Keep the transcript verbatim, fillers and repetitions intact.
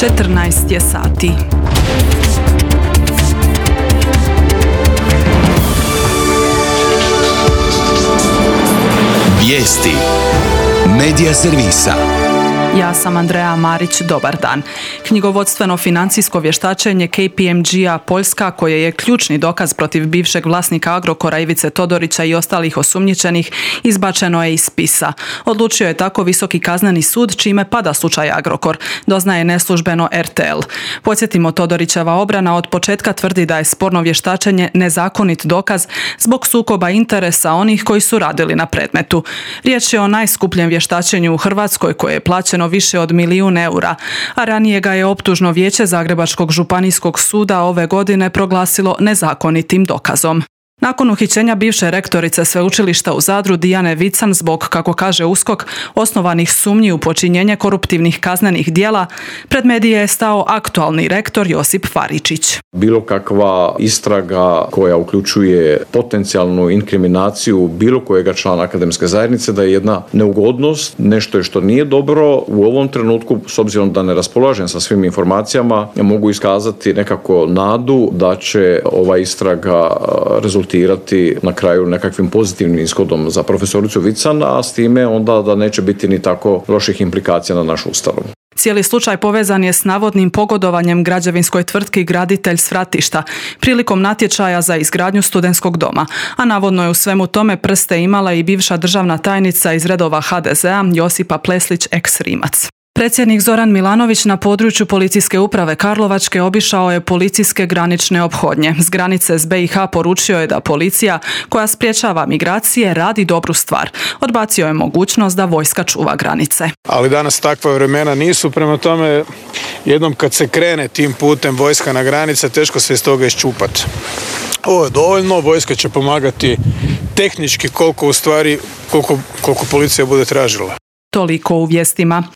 četrnaest je sati. Vijesti Medija servisa. Ja sam Andreja Marić, dobar dan. Knjigovodstveno-financijsko vještačenje K P M G-a Poljska, koje je ključni dokaz protiv bivšeg vlasnika Agrokora Ivice Todorića i ostalih osumnjičenih, izbačeno je iz spisa. Odlučio je tako Visoki kazneni sud, čime pada slučaj Agrokor, doznaje neslužbeno R T L. Podsjetimo, Todorićeva obrana od početka tvrdi da je sporno vještačenje nezakonit dokaz zbog sukoba interesa onih koji su radili na predmetu. Riječ je o najskupljem vještačenju u Hrvatskoj, koje je plaćeno više od milijun eura, a ranije ga je optužno vijeće Zagrebačkog županijskog suda ove godine proglasilo nezakonitim dokazom. Nakon uhićenja bivše rektorice sveučilišta u Zadru Dijane Vican zbog, kako kaže USKOK, osnovanih sumnji u počinjenje koruptivnih kaznenih djela, pred medije je stao aktualni rektor Josip Faričić. Bilo kakva istraga koja uključuje potencijalnu inkriminaciju bilo kojega člana akademske zajednice da je jedna neugodnost, nešto je što nije dobro. U ovom trenutku, s obzirom da ne raspolažem sa svim informacijama, mogu iskazati nekako nadu da će ova istraga rezultirati na kraju nekakvim pozitivnim ishodom za profesoricu Vican, a s time onda da neće biti ni tako loših implikacija na naš ustav. Cijeli slučaj povezan je s navodnim pogodovanjem građevinskoj tvrtki Graditelj s Fratišta prilikom natječaja za izgradnju studentskog doma, a navodno je u svemu tome prste imala i bivša državna tajnica iz redova H D Z-a Josipa Pleslić ex-Rimac. Predsjednik Zoran Milanović na području Policijske uprave Karlovačke obišao je policijske granične ophodnje. S granice s B i H poručio je da policija, koja sprječava migracije, radi dobru stvar. Odbacio je mogućnost da vojska čuva granice. Ali danas takva vremena nisu, prema tome jednom kad se krene tim putem vojska na granice, teško se iz toga iščupati. Ovo je dovoljno, vojska će pomagati tehnički koliko u stvari, koliko, koliko policija bude tražila. Toliko u vijestima.